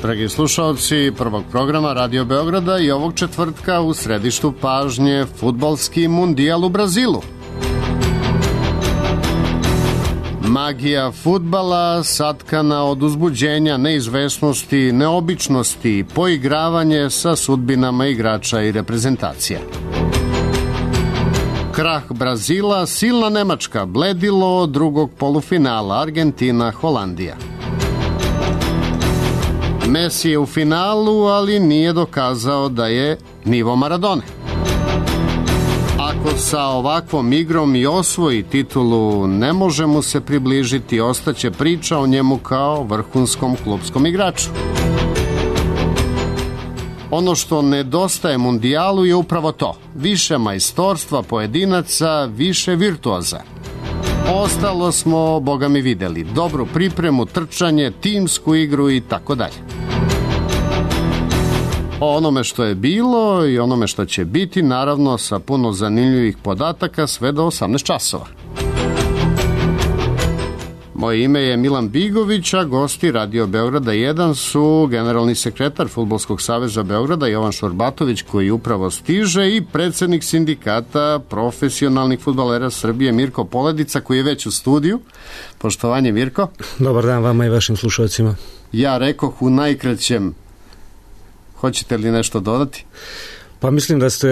dragi slušalci prvog programa Radio Beograda i ovog četvrtka u središtu pažnje fudbalski mundijal u Brazilu. Magija fudbala satkana od uzbuđenja, neizvesnosti, neobičnosti, poigravanje sa sudbinama igrača i reprezentacija. Krah Brazila, silna Nemačka, bledilo drugog polufinala Argentina-Holandija. Messi je u finalu, ali nije dokazao da je nivo Maradone. Ako sa ovakvom igrom i osvoji titulu, ne može mu se približiti, ostaće priča o njemu kao vrhunskom klupskom igraču. Ono što nedostaje mundijalu je upravo to. Više majstorstva pojedinaca, više virtuoza. Ostalo smo, boga mi, videli. Dobru pripremu, trčanje, timsku igru i tako dalje. O onome što je bilo i onome što će biti, naravno sa puno zanimljivih podataka, sve do 18 časova. Moje ime je Milan Bigović, a gosti Radio Beograda 1 su generalni sekretar Fudbalskog saveza Beograda Jovan Šorbatović, koji upravo stiže, i predsednik sindikata profesionalnih fudbalera Srbije Mirko Poledica, koji je već u studiju. Poštovanje, Mirko. Dobar dan vama i vašim slušalcima. Ja rekoh u najkraćem. Hoćete li nešto dodati? Pa mislim da ste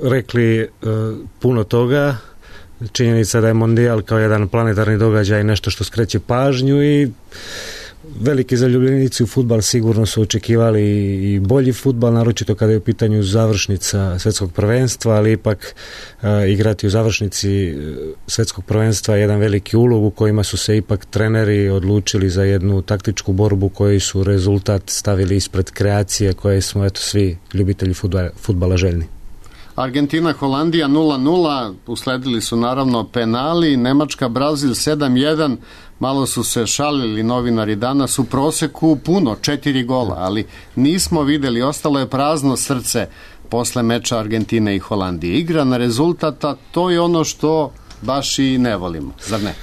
rekli puno toga. Činjenica da je mondijal kao jedan planetarni događaj nešto što skreće pažnju i veliki zaljubljenici u fudbal sigurno su očekivali i bolji fudbal, naročito kada je u pitanju završnica svetskog prvenstva, ali ipak igrati u završnici svetskog prvenstva je jedan veliki ulog u kojima su se ipak treneri odlučili za jednu taktičku borbu koji su rezultat stavili ispred kreacije koje smo eto svi ljubitelji fudbala željni. Argentina, Holandija 0-0, usledili su naravno penali, Nemačka, Brazil 7-1, malo su se šalili novinari danas, u proseku puno, 4 gola, ali nismo videli, ostalo je prazno srce posle meča Argentine i Holandije. Igra na rezultata, to je ono što baš i ne volimo, zar ne?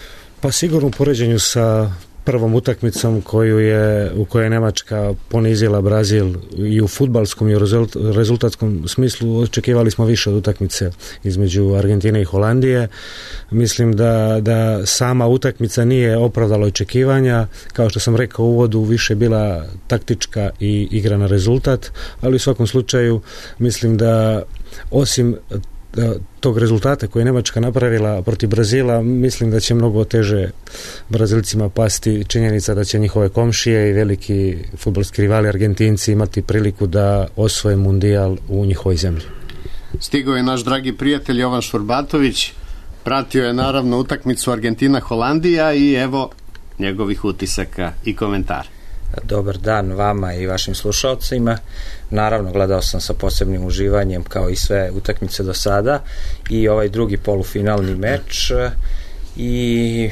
Pa sigurno u poređenju sa prvom utakmicom u kojoj je Nemačka ponizila Brazil i u fudbalskom i u rezultatskom smislu, očekivali smo više od utakmice između Argentine i Holandije. Mislim da sama utakmica nije opravdala očekivanja, kao što sam rekao u uvodu, više bila taktička i igra na rezultat, ali u svakom slučaju mislim da osim tog rezultata koji je Nemačka napravila protiv Brazila, mislim da će mnogo teže Brazilcima pasti činjenica da će njihove komšije i veliki fudbalski rivali Argentinci imati priliku da osvoje mundijal u njihovoj zemlji. Stigao je naš dragi prijatelj Jovan Šorbatović, pratio je naravno utakmicu Argentina-Holandija i evo njegovih utisaka i komentara. Dobar dan vama i vašim slušalcima. Naravno, gledao sam sa posebnim uživanjem kao i sve utakmice do sada i ovaj drugi polufinalni meč i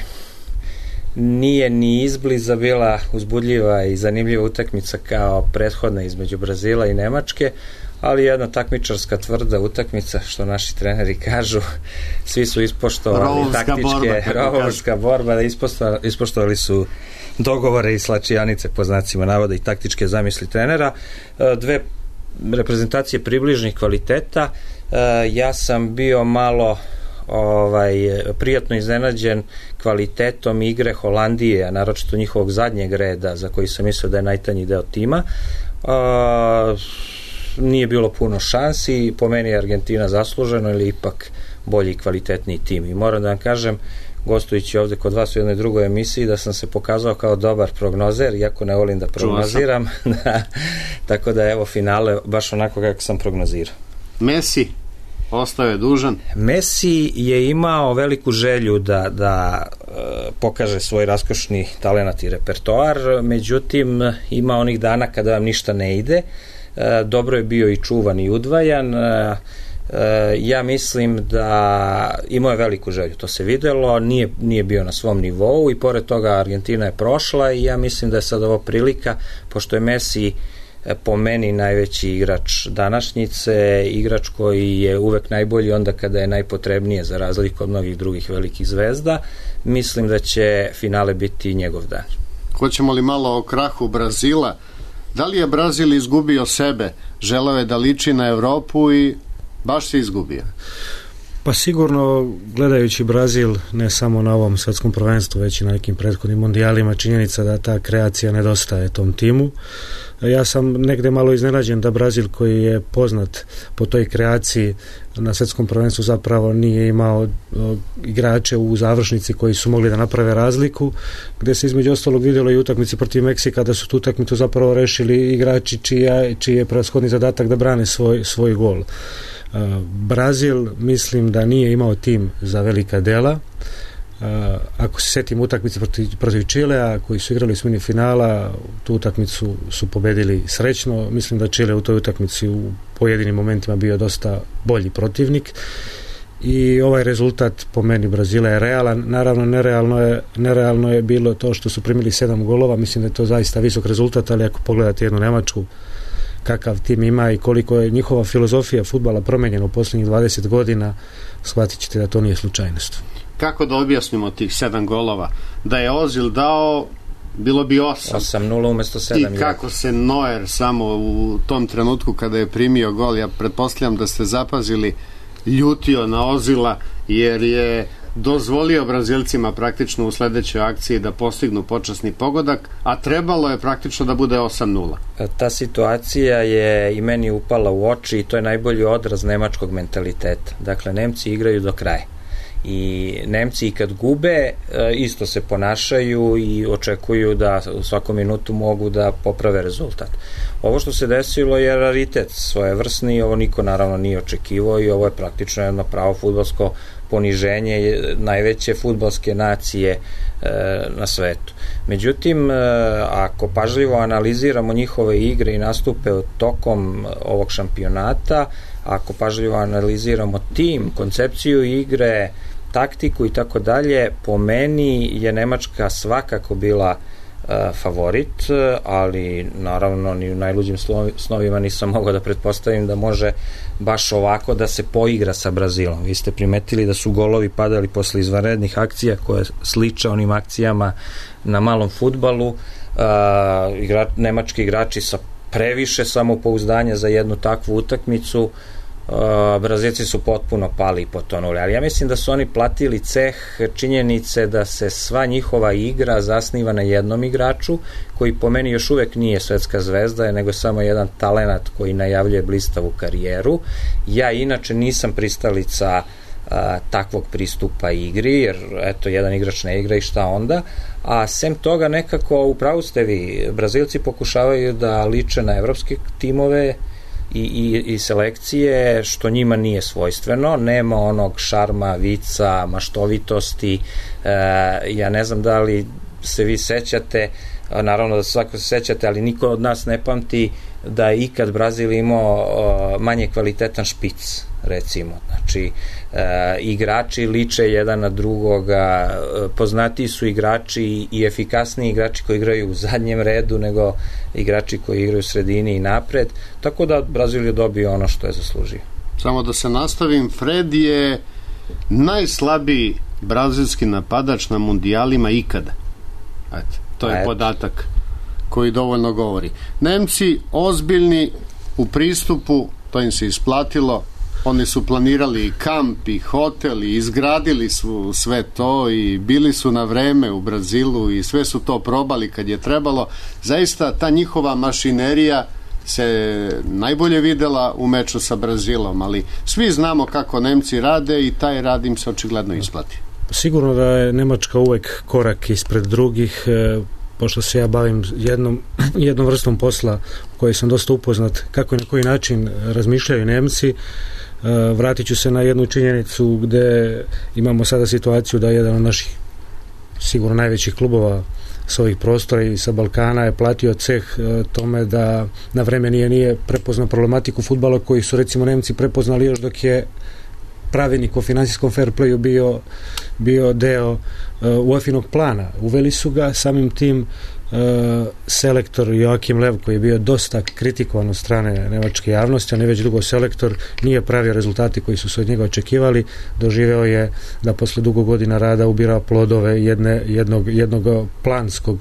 nije ni izbliza bila uzbudljiva i zanimljiva utakmica kao prethodna između Brazila i Nemačke, ali jedna takmičarska tvrda utakmica, što naši treneri kažu, svi su ispoštovali rovovska borba, ispoštovali su dogovore i slačijanice po znacima navoda i taktičke zamisli trenera. Dve reprezentacije približnih kvaliteta. Ja sam bio malo prijatno iznenađen kvalitetom igre Holandije, a naročito njihovog zadnjeg reda, za koji sam mislio da je najtanji deo tima. Nije bilo puno šansi, po meni je Argentina zasluženo ili ipak bolji i kvalitetniji tim. I moram da vam kažem, gostujući ovde kod vas u jednoj drugoj emisiji, da sam se pokazao kao dobar prognozer, iako ne volim da prognoziram. Tako da evo finale baš onako kako sam prognozirao. Messi ostao je dužan. Messi je imao veliku želju da pokaže svoj raskošni talenat i repertoar, međutim ima onih dana kada vam ništa ne ide. Dobro je bio i čuvan i udvajan. Ja mislim da imao je veliku želju, to se videlo, nije bio na svom nivou i pored toga Argentina je prošla i ja mislim da je sad ovo prilika, pošto je Messi po meni najveći igrač današnjice, igrač koji je uvek najbolji onda kada je najpotrebnije, za razliku od mnogih drugih velikih zvezda, mislim da će finale biti njegov dan. Hoćemo li malo o krahu Brazila? Da li je Brazil izgubio sebe? Želeo je da liči na Evropu i baš se izgubio. Pa sigurno, gledajući Brazil ne samo na ovom svjetskom prvenstvu, već i na nekim prethodnim mondijalima, činjenica da ta kreacija nedostaje tom timu. Ja sam negde malo iznenađen da Brazil, koji je poznat po toj kreaciji na svjetskom prvenstvu, zapravo nije imao igrače u završnici koji su mogli da naprave razliku, gde se između ostalog vidjelo i utakmici protiv Meksika da su tu utakmicu zapravo rešili igrači čiji je prevashodni zadatak da brane svoj gol. Brazil mislim da nije imao tim za velika dela. Ako se setim utakmice protiv Čilea koji su igrali u osmini finala, tu utakmicu su pobedili srećno. Mislim da Čile u toj utakmici u pojedinim momentima bio dosta bolji protivnik i ovaj rezultat po meni Brazila je realan. Naravno nerealno je bilo to što su primili 7 golova. Mislim da je to zaista visok rezultat, ali ako pogledate jednu Nemačku kakav tim ima i koliko je njihova filozofija fudbala promenjena u posljednjih 20 godina, shvatit ćete da to nije slučajnost. Kako da objasnimo tih 7 golova? Da je Ozil dao, bilo bi 8. 8-0 umjesto 7. I kako se Neuer samo u tom trenutku kada je primio gol, ja pretpostavljam da ste zapazili, ljutio na Ozila jer je dozvolio Brazilcima praktično u sledećoj akciji da postignu počasni pogodak, a trebalo je praktično da bude 8-0. Ta situacija je i meni upala u oči i to je najbolji odraz nemačkog mentaliteta. Dakle, Nemci igraju do kraja. I Nemci i kad gube isto se ponašaju i očekuju da u svakom minutu mogu da poprave rezultat. Ovo što se desilo je raritet svojevrsni, ovo niko naravno nije očekivao i ovo je praktično jedno pravo fudbalsko poniženje najveće fudbalske nacije na svetu. Međutim, ako pažljivo analiziramo njihove igre i nastupe tokom ovog šampionata, ako pažljivo analiziramo tim, koncepciju igre, taktiku i tako dalje, po meni je Nemačka svakako bila favorit, ali naravno ni u najluđim snovima nisam mogao da pretpostavim da može baš ovako da se poigra sa Brazilom. Vi ste primetili da su golovi padali posle izvanrednih akcija koje sliče onim akcijama na malom fudbalu. Nemački igrači sa previše samopouzdanja za jednu takvu utakmicu, Brazilci su potpuno pali i potonuli, ali ja mislim da su oni platili ceh činjenice da se sva njihova igra zasniva na jednom igraču koji po meni još uvek nije svetska zvezda, nego samo jedan talenat koji najavljuje blistavu karijeru. Ja inače nisam pristalica takvog pristupa igri, jer eto, jedan igrač ne igra i šta onda, a sem toga nekako upravo ste vi, Brazilci pokušavaju da liče na evropske timove i selekcije, što njima nije svojstveno, nema onog šarma, vica, maštovitosti. Ja ne znam da li se vi sećate, naravno da svako se sećate, ali niko od nas ne pamti da je ikad Brazil imao manje kvalitetan špic, recimo. Znači, igrači liče jedan na drugoga, poznatiji su igrači i efikasniji igrači koji igraju u zadnjem redu nego igrači koji igraju u sredini i napred, tako da Brazil je dobio ono što je zaslužio. Samo da se nastavim, Fred je najslabiji brazilski napadač na mundijalima ikada. Ajde, to je podatak koji dovoljno govori. Nemci ozbiljni u pristupu, to im se isplatilo, oni su planirali i kamp i hotel i izgradili su sve to i bili su na vreme u Brazilu i sve su to probali kad je trebalo. Zaista ta njihova mašinerija se najbolje videla u meču sa Brazilom, ali svi znamo kako Nemci rade i taj rad im se očigledno isplati. Sigurno da je Nemačka uvek korak ispred drugih, pošto se ja bavim jednom vrstom posla u kojoj sam dosta upoznat kako i na koji način razmišljaju Nemci. Vratit ću se na jednu činjenicu gde imamo sada situaciju da jedan od naših sigurno najvećih klubova s ovih prostora i sa Balkana je platio ceh tome da na vreme nije prepoznao problematiku fudbala koji su recimo Nemci prepoznali još dok je pravilnik o finansijskom fair playu bio deo UEFA-inog plana. Uveli su ga, samim tim selektor Joachim Löw, koji je bio dosta kritikovan od strane nemačke javnosti, a ne već dugo selektor, nije pravio rezultati koji su se od njega očekivali. Doživeo je da posle dugo godina rada ubira plodove jednog planskog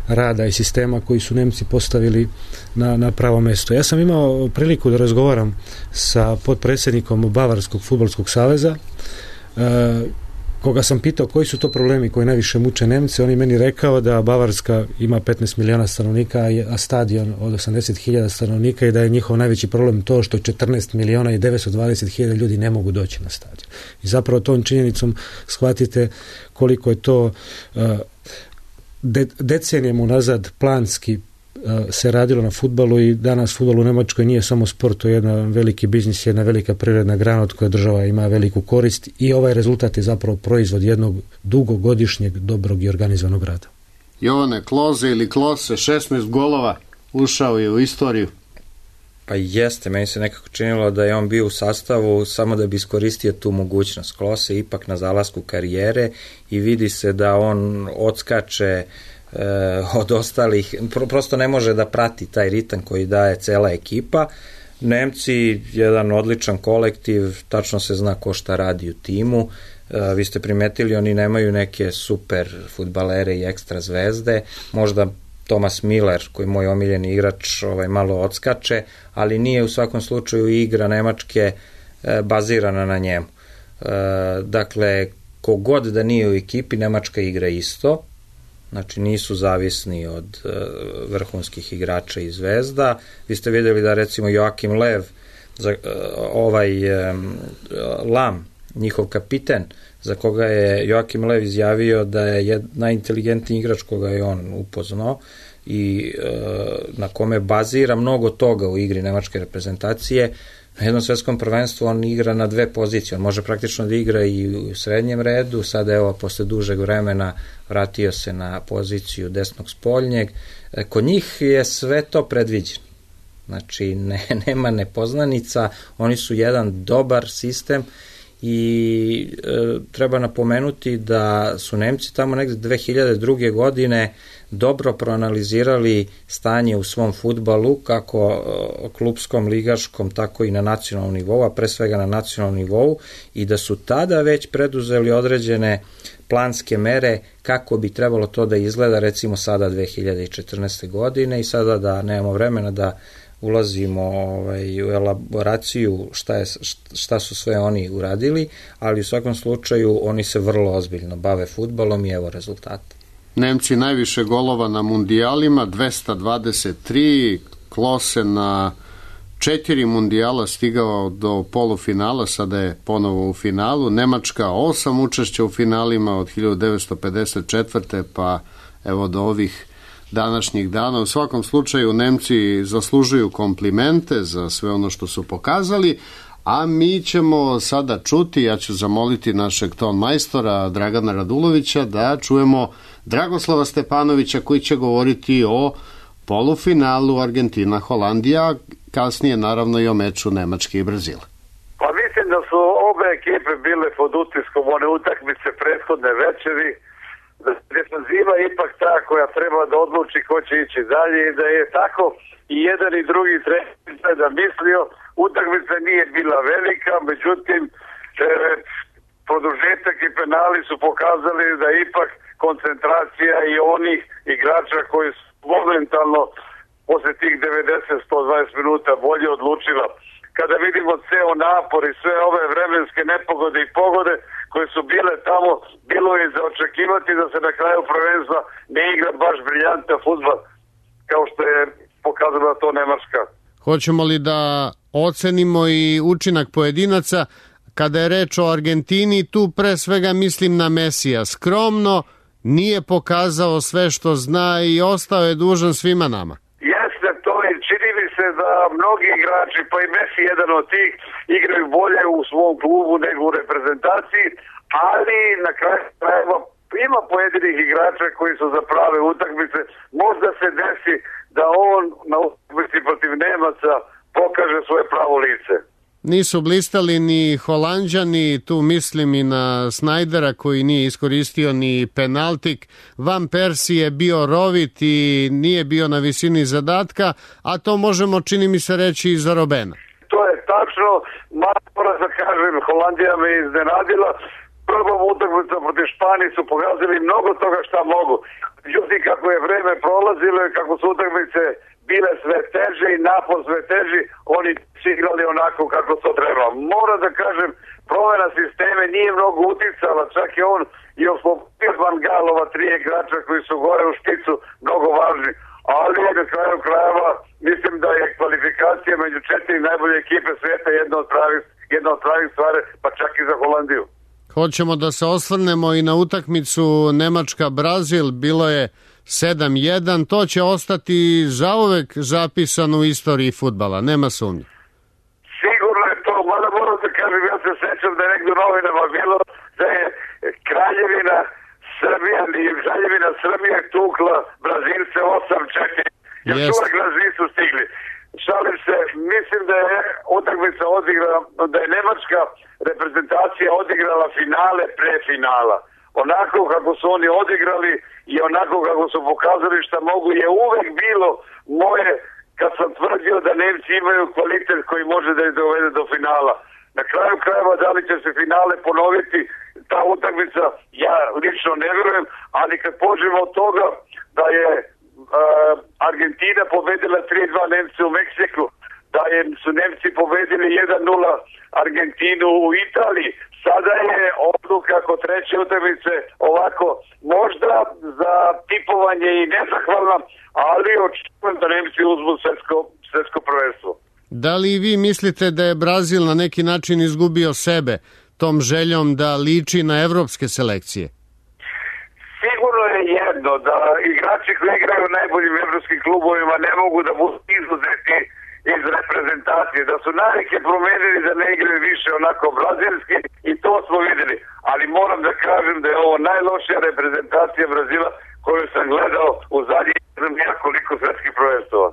rada i sistema koji su Nemci postavili na pravo mesto. Ja sam imao priliku da razgovaram sa potpredsjednikom Bavarskog fudbalskog saveza, koga sam pitao koji su to problemi koji najviše muče Nemce. On je meni rekao da Bavarska ima 15 miliona stanovnika, a stadion od 80.000 stanovnika, i da je njihov najveći problem to što 14 miliona i 920.000 ljudi ne mogu doći na stadion. I zapravo tom činjenicom shvatite koliko je to decenijama unazad planski se radilo na fudbalu, i danas fudbal u Njemačkoj nije samo sport, to je jedan veliki biznis, jedna velika privredna grana od koje država ima veliku korist, i ovaj rezultat je zapravo proizvod jednog dugogodišnjeg dobrog i organizovanog rada. Jovane, Kloze ili Klose, 16 golova, ušao je u istoriju. Pa jeste, meni se nekako činilo da je on bio u sastavu samo da bi iskoristio tu mogućnost. Klose ipak na zalasku karijere i vidi se da on odskače od ostalih, prosto ne može da prati taj ritam koji daje cela ekipa. Nemci, jedan odličan kolektiv, tačno se zna ko šta radi u timu. Vi ste primetili, oni nemaju neke super fudbalere i ekstra zvezde, možda Thomas Miller, koji je moj omiljeni igrač, malo odskače, ali nije u svakom slučaju igra Nemačke bazirana na njemu. Dakle, kogod da nije u ekipi, Nemačka igra isto, znači nisu zavisni od vrhunskih igrača i zvezda. Vi ste vidjeli da recimo Joachim Lev, Lam, njihov kapiten, za koga je Joachim Lev izjavio da je najinteligentniji igrač koga je on upoznao i na kome bazira mnogo toga u igri nemačke reprezentacije. Na jednom svetskom prvenstvu on igra na dve pozicije, on može praktično da igra i u srednjem redu, sada evo posle dužeg vremena vratio se na poziciju desnog spoljnjeg. Kod njih je sve to predviđeno, znači nema nepoznanica, oni su jedan dobar sistem i treba napomenuti da su Nemci tamo negde 2002. godine dobro proanalizirali stanje u svom fudbalu, kako klupskom, ligaškom, tako i na nacionalnom nivou, a pre svega na nacionalnom nivou, i da su tada već preduzeli određene planske mere kako bi trebalo to da izgleda, recimo sada 2014. godine, i sada da nemamo vremena da ulazimo u elaboraciju šta su sve oni uradili, ali u svakom slučaju oni se vrlo ozbiljno bave fudbalom i evo rezultata. Nemci najviše golova na mundijalima, 223, Klose na 4 mundijala stigao do polufinala, sada je ponovo u finalu, Nemačka 8 učešća u finalima od 1954. pa evo do ovih današnjih dana. U svakom slučaju Nemci zaslužuju komplimente za sve ono što su pokazali, a mi ćemo sada čuti, ja ću zamoliti našeg ton majstora Dragana Radulovića da čujemo Dragoslava Stepanovića koji će govoriti o polufinalu Argentina-Holandija, kasnije naravno i o meču Nemačke i Brazila. Pa mislim da su obe ekipe bile pod utiskom one utakmice prethodne večeri, da je defanziva ipak ta koja treba da odluči ko će ići dalje, i da je tako i jedan i drugi trener da mislio. Utakmica nije bila velika, međutim produžetak i penali su pokazali da ipak koncentracija i onih igrača koji su momentalno posle tih 90-120 minuta bolje odlučila. Kada vidimo ceo napor i sve ove vremenske nepogode i pogode koje su bile tamo, bilo je za očekivati da se na kraju prvenstva ne igra baš briljantan fudbal kao što je pokazala to Nemačka. Hoćemo li da ocenimo i učinak pojedinaca? Kada je reč o Argentini, tu pre svega mislim na Mesija. Skromno, nije pokazao sve što zna i ostao je dužan svima nama. Jeste, to je, čini mi se da mnogi igrači, pa i Messi jedan od tih, igraju bolje u svom klubu nego u reprezentaciji, ali na kraju krajeva ima pojedinih igrača koji su za prave utakmice. Možda se desi da on na utakmici protiv Nemaca pokaže svoje pravo lice. Nisu blistali ni Holanđani, tu mislim i na Snajdera koji nije iskoristio ni penaltik. Van Persie je bio rovit i nije bio na visini zadatka, a to možemo, čini mi se, reći i za Robena. To je tačno, moram da kažem, Holandija me iznenadila. prvom utakmicom protiv Španije su pokazali mnogo toga šta mogu. Međutim, kako je vreme prolazilo i kako su utakmice bile sve teže i napor sve teži, oni su igrali onako kako to treba. Moram da kažem, promjena sisteme nije mnogo uticala, čak je on i oslobodio Van Galova 3 igrača koji su gore u špicu mnogo važni. Ali na kraju krajeva mislim da je kvalifikacija među 4 najbolje ekipe svijeta jedna od pravih stvari, pa čak i za Holandiju. Hoćemo da se osvrnemo i na utakmicu Nemačka-Brazil, bilo je 7-1, to će ostati zauvek zapisano u istoriji fudbala, nema sumnje. Sigurno je to, mada moram da kažem, ja se sećam da je negdje u novinama bilo da je Kraljevina Srbija tukla Brazilce 8-4. Još uvek nas nisu stigli. Šalim se, mislim da je utakmica odigrala, da je nemačka reprezentacija odigrala finale pre finala. Onako kako su oni odigrali i onako kako su pokazali šta mogu je uvek bilo moje kad sam tvrdio da Nemci imaju kvalitet koji može da ih dovede do finala. Na kraju krajeva da li će se finale ponoviti, ta utakmica ja lično ne vjerujem, ali kad pođemo od toga da je Argentina pobedila 3-2 Nemci u Meksiku, da su Nemci pobedili 1-0 Argentinu u Italiji, sada je odluka kod treće utakmice ovako možda za tipovanje i nezahvalna, ali očekujem da Nemci uzmu svetsko prvenstvo. Da li vi mislite da je Brazil na neki način izgubio sebe tom željom da liči na evropske selekcije? Sigurno je jedno da igrači koji igraju u najboljim evropskim klubovima ne mogu da budu izuzeti iz reprezentacije, da su navike promenili da ne igraju više onako brazilski i to smo videli, ali moram da kažem da je ovo najlošija reprezentacija Brazila koju sam gledao u zadnjih nekoliko svetskih prvenstava.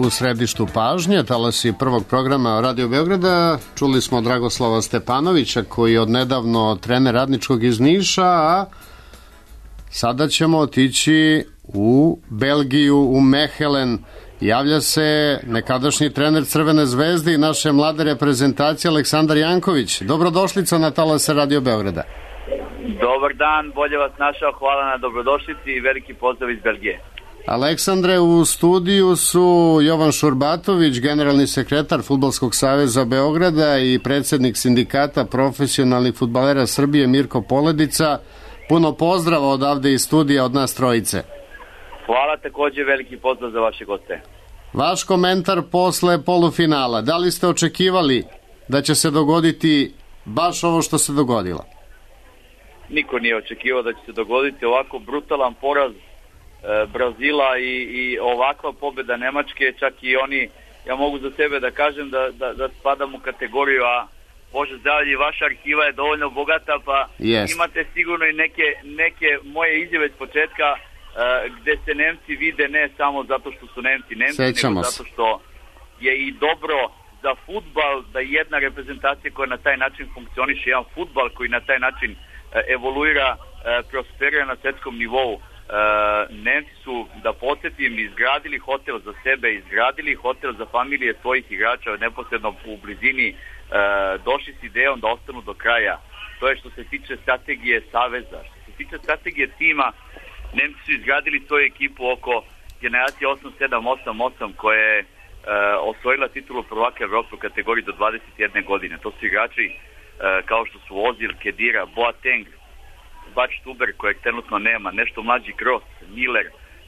U središtu pažnje, talasi prvog programa Radio Beograda, čuli smo Dragoslava Stepanovića, koji je odnedavno trener Radničkog iz Niša, a sada ćemo otići u Belgiju, u Mehelen. Javlja se nekadašnji trener Crvene zvezde i naše mlade reprezentacije Aleksandar Janković. Dobrodošlica na talase Radio Beograda. Dobar dan, bolje vas našao, hvala na dobrodošlici i veliki pozdrav iz Belgije. Aleksandre, u studiju su Jovan Šurbatović, generalni sekretar Fudbalskog saveza Beograda i predsjednik sindikata profesionalnih fudbalera Srbije Mirko Poledica. Puno pozdrava odavde iz studija od nas trojice. Hvala, također veliki pozdrav za vaše goste. Vaš komentar posle polufinala. Da li ste očekivali da će se dogoditi baš ovo što se dogodilo? Niko nije očekivao da će se dogoditi ovako brutalan poraz Brazila i ovakva pobjeda Nemačke, čak i oni, ja mogu za sebe da kažem da spadam u kategoriju, a Bože zdravlje, vaša arhiva je dovoljno bogata, pa imate sigurno i neke moje izjave s početka gde se Nemci vide ne samo zato što su Nemci, nego zato što je i dobro za fudbal da jedna reprezentacija koja na taj način funkcioniše, jedan fudbal koji na taj način evoluira, prosperira na svetskom nivou. Nemci su, da podsjetim, izgradili hotel za sebe, izgradili hotel za familije svojih igrača neposredno u blizini, došli s idejom da ostanu do kraja. To je što se tiče strategije saveza. Što se tiče strategije tima, Nemci su izgradili svoju ekipu oko generacije 8-7-8-8 koja je osvojila titulu prvaka Evrope u kategoriji do 21 godine. To su igrači kao što su Ozil, Kedira, Boateng, Bač Tuber kojeg trenutno nema, nešto mlađi Kroos, Miller,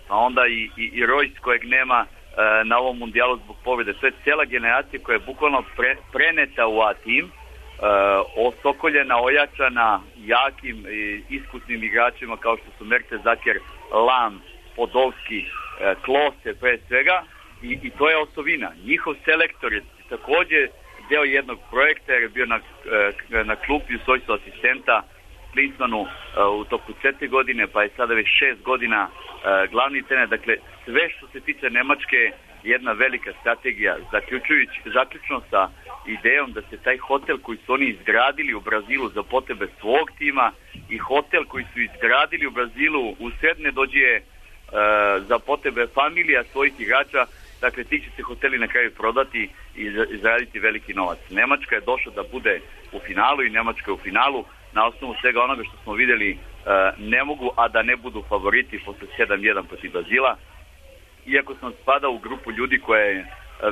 a onda i Royce kojeg nema na ovom mundijalu zbog pobjede. To je cijela generacija koja je bukvalno preneta u A tim, osokoljena, ojačana jakim i iskusnim igračima kao što su Mertesacker, Lam, Podolski, Klose pre svega i to je osovina. Njihov selektor je također deo jednog projekta jer je bio na klupi u svojstvu asistenta Klinsmanu u toku 4 godine, pa je sada već 6 godina glavni trener. Dakle, sve što se tiče Nemačke jedna velika strategija, zaključno sa idejom da se taj hotel koji su oni izgradili u Brazilu za potrebe svog tima i hotel koji su izgradili u Brazilu usred ne dođe za potrebe familija svojih igrača, dakle ti će se hoteli na kraju prodati i zaraditi veliki novac. Nemačka je došla da bude u finalu i Nemačka je u finalu. Na osnovu svega onoga što smo vidjeli ne mogu, a da ne budu favoriti posle 7-1 protiv Brazila. Iako sam spadao u grupu ljudi koja je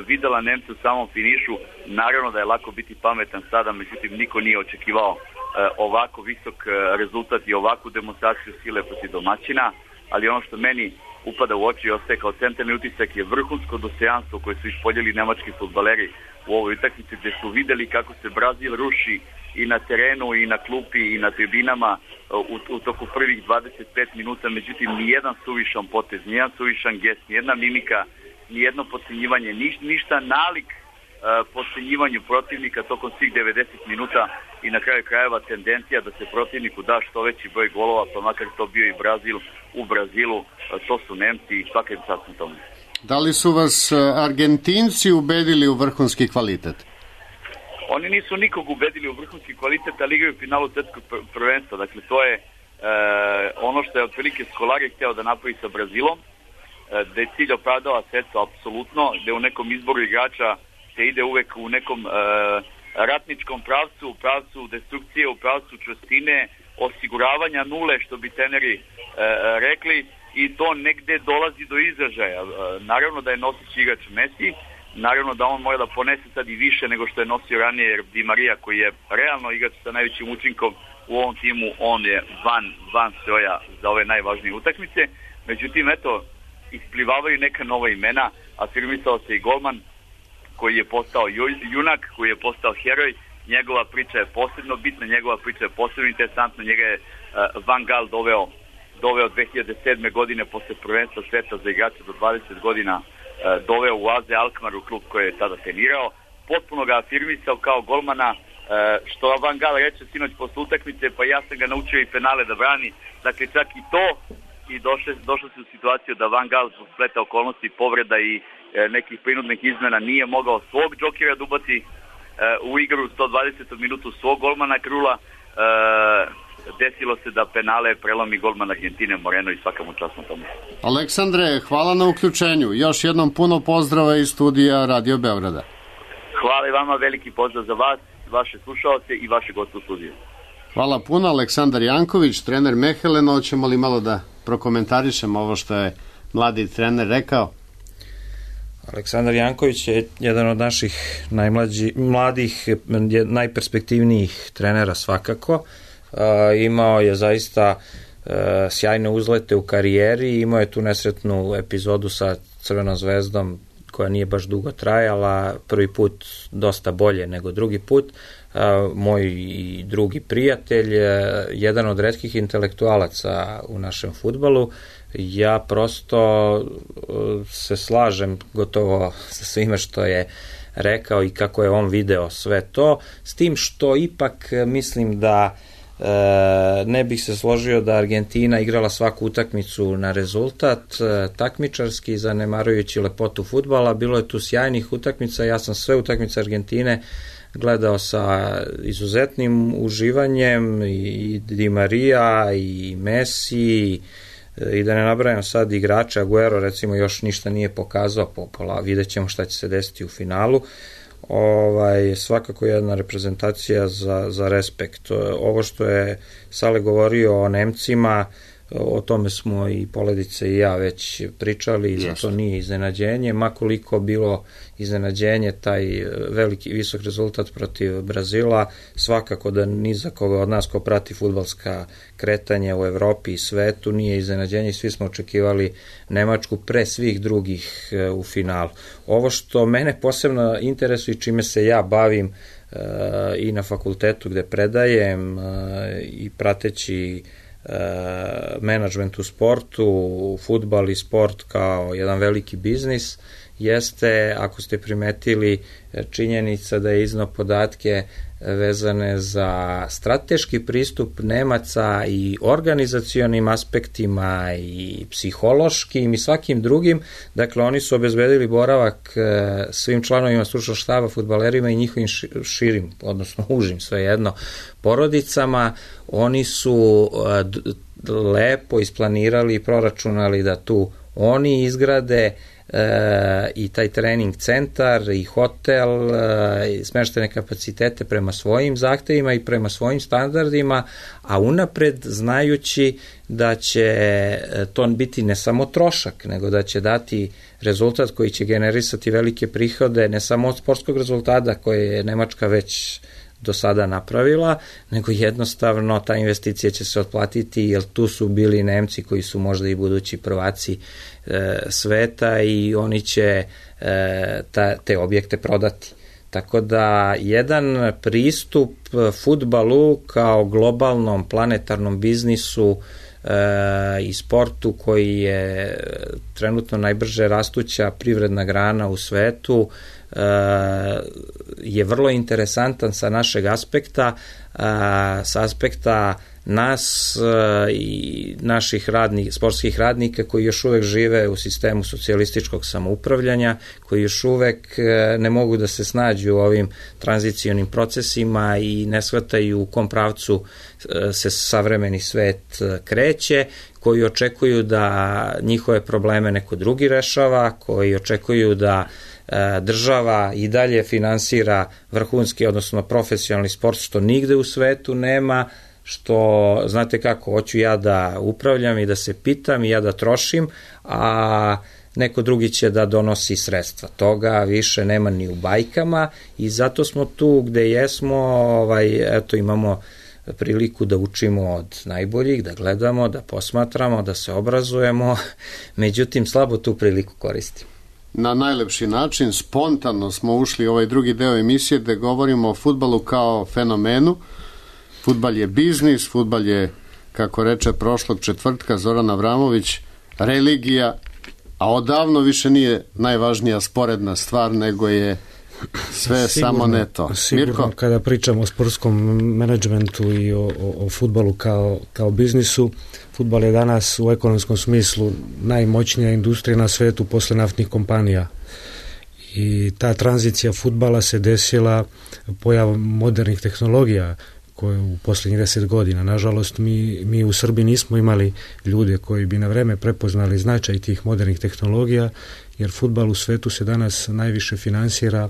videla Nemce u samom finišu, naravno da je lako biti pametan sada, međutim niko nije očekivao ovako visok rezultat i ovakvu demonstraciju sile protiv domaćina, ali ono što meni upada u oči i ostaje kao centralni utisak je vrhunsko dostojanstvo koje su ispoljili nemački fudbaleri u ovoj utakmici, gde su videli kako se Brazil ruši i na terenu i na klupi i na tribinama u toku prvih 25 minuta, međutim nijedan suvišan potez, nijedan suvišan gest, nijedna mimika, nijedno podcenjivanje, ništa nalik podcenjivanju protivnika tokom svih 90 minuta i na kraju krajeva tendencija da se protivniku da što veći broj golova, pa makar to bio i Brazil u Brazilu, to su Nemci i svaka im čast na tome. Da li su vas Argentinci ubedili u vrhunski kvalitet? Oni nisu nikog ubedili u vrhunski kvalitet, ali igraju u finalu svetskog prvenstva. Dakle, to je ono što je otprilike Scolari hteo da napravi sa Brazilom, da je cilj opravdava sredstvo apsolutno, da u nekom izboru igrača se ide uvek u nekom ratničkom pravcu, u pravcu destrukcije, u pravcu čvrstine, osiguravanja nule, što bi treneri rekli, i to negde dolazi do izražaja. Naravno da je nosić igrač Messi, naravno da on mora da ponese sad i više nego što je nosio ranije, jer Di Maria, koji je realno igrač sa najvećim učinkom u ovom timu, on je van stroja za ove najvažnije utakmice. Međutim, eto, isplivavaju neka nova imena, afirmisao se i golman koji je postao junak, koji je postao heroj. Njegova priča je posebno bitna, njegova priča je posebno interesantna. Njega je Van Gaal doveo 2007. godine posle prvenstva sveta za igrače do 20 godina, doveo u AZ Alkmaar, u klub koji je tada trenirao, potpuno ga afirmisao kao golmana, što Van Gaal reče sinoć posle utakmice, pa ja sam ga naučio i penale da brani. Dakle, čak i to, i došlo se u situaciju da Van Gaal zbog spleta okolnosti, povreda i nekih prinudnih izmena nije mogao svog džokera da ubaci u igru u 120. minutu svog golmana Krula. Desilo se da penale prelomi golman Argentine Moreno i svaka mu čast na tomu. Aleksandre, hvala na uključenju. Još jednom puno pozdrava iz studija Radio Beograda. Hvala i vama, veliki pozdrav za vas, vaše slušaoce i vaše goste u studiju. Hvala puno, Aleksandar Janković, trener Mehelena. Hoćemo li malo da prokomentarišemo ovo što je mladi trener rekao? Aleksandar Janković je jedan od naših mladih, najperspektivnijih trenera svakako. Imao je zaista sjajne uzlete u karijeri, imao je tu nesretnu epizodu sa Crvenom zvezdom koja nije baš dugo trajala, prvi put dosta bolje nego drugi put. Moj i drugi prijatelj, jedan od retkih intelektualaca u našem fudbalu. Ja prosto se slažem gotovo sa svime što je rekao i kako je on video sve to, s tim što ipak mislim da ne bih se složio da Argentina igrala svaku utakmicu na rezultat, takmičarski, zanemarujući lepotu fudbala. Bilo je tu sjajnih utakmica, ja sam sve utakmice Argentine gledao sa izuzetnim uživanjem, i Di Maria i Messi, i da ne nabrajam sad igrača. Aguero recimo još ništa nije pokazao, vidjet ćemo šta će se desiti u finalu. Svakako jedna reprezentacija za respekt. Ovo što je Sale govorio o Nemcima, o tome smo i Poledice i ja već pričali, i zato nije iznenađenje, makoliko bilo iznenađenje taj veliki visok rezultat protiv Brazila, svakako da ni za koga od nas ko prati fudbalska kretanja u Evropi i svetu nije iznenađenje, svi smo očekivali Nemačku pre svih drugih u finalu. Ovo što mene posebno interesuje i čime se ja bavim i na fakultetu gde predajem i prateći menadžment u sportu, fudbal i sport kao jedan veliki biznis, jeste, ako ste primetili, činjenica da je izneo podatke vezane za strateški pristup Nemaca i organizacionim aspektima i psihološkim i svakim drugim. Dakle, oni su obezbedili boravak svim članovima stručnog štaba, fudbalerima i njihovim širim, odnosno užim, svejedno, porodicama. Oni su lepo isplanirali i proračunali da tu oni izgrade i taj trening centar i hotel, i smeštene kapacitete prema svojim zahtevima i prema svojim standardima, a unapred znajući da će to biti ne samo trošak, nego da će dati rezultat koji će generisati velike prihode, ne samo od sportskog rezultata koje je Nemačka već do sada napravila, nego jednostavno ta investicija će se otplatiti, jer tu su bili Nemci koji su možda i budući prvaci sveta i oni će te objekte prodati. Tako da jedan pristup fudbalu kao globalnom planetarnom biznisu i sportu koji je trenutno najbrže rastuća privredna grana u svetu je vrlo interesantan sa našeg aspekta, sa aspekta nas i naših sportskih radnika koji još uvek žive u sistemu socijalističkog samoupravljanja, koji još uvek ne mogu da se snađu u ovim tranzicionim procesima i ne shvataju u kom pravcu se savremeni svet kreće, koji očekuju da njihove probleme neko drugi rešava, koji očekuju da država i dalje finansira vrhunski, odnosno profesionalni sport, što nigde u svetu nema, što, znate kako, hoću ja da upravljam i da se pitam i ja da trošim, a neko drugi će da donosi sredstva. Toga više nema ni u bajkama i zato smo tu gde jesmo, eto, imamo priliku da učimo od najboljih, da gledamo, da posmatramo, da se obrazujemo, međutim slabo tu priliku koristimo. Na najlepši način, spontano smo ušli u ovaj drugi deo emisije gde govorimo o fudbalu kao fenomenu. Fudbal je biznis, fudbal je, kako reče prošlog četvrtka Zoran Avramović, religija, a odavno više nije najvažnija sporedna stvar, nego je sve sigurno, samo ne to. Sigurno, Mirko? Kada pričamo o sportskom menadžmentu i o fudbalu kao biznisu, fudbal je danas u ekonomskom smislu najmoćnija industrija na svetu posle naftnih kompanija. I ta tranzicija fudbala se desila pojavom modernih tehnologija koje u posljednjih 10 godina. Nažalost, mi u Srbiji nismo imali ljude koji bi na vreme prepoznali značaj tih modernih tehnologija, jer fudbal u svetu se danas najviše finansira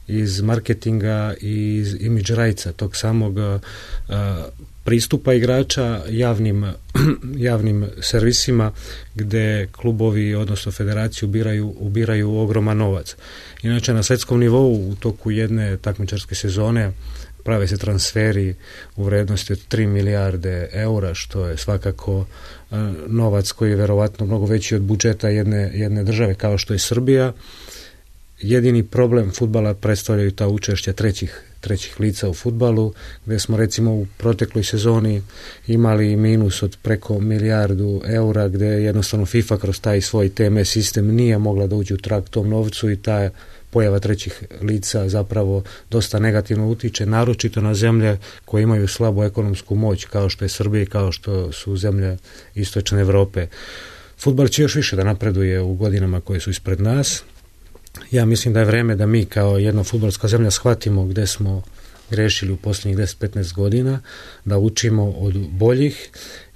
iz marketinga i iz imidž rajca, tog samog pristupa igrača javnim servisima gde klubovi, odnosno federacije ubiraju ogroman novac. Inače, na svetskom nivou u toku jedne takmičarske sezone prave se transferi u vrednosti od 3 milijarde eura, što je svakako novac koji je verovatno mnogo veći od budžeta jedne države kao što je Srbija. Jedini problem fudbala predstavljaju ta učešća trećih lica u fudbalu, gde smo recimo u protekloj sezoni imali minus od preko milijardu eura, gde jednostavno FIFA kroz taj svoj TMS sistem nije mogla da uđe u trag tom novcu i ta pojava trećih lica zapravo dosta negativno utiče, naročito na zemlje koje imaju slabu ekonomsku moć, kao što je Srbija i kao što su zemlje istočne Evrope. Fudbal će još više da napreduje u godinama koje su ispred nas. Ja mislim da je vreme da mi kao jedna fudbalska zemlja shvatimo gde smo grešili u posljednjih 10-15 godina, da učimo od boljih,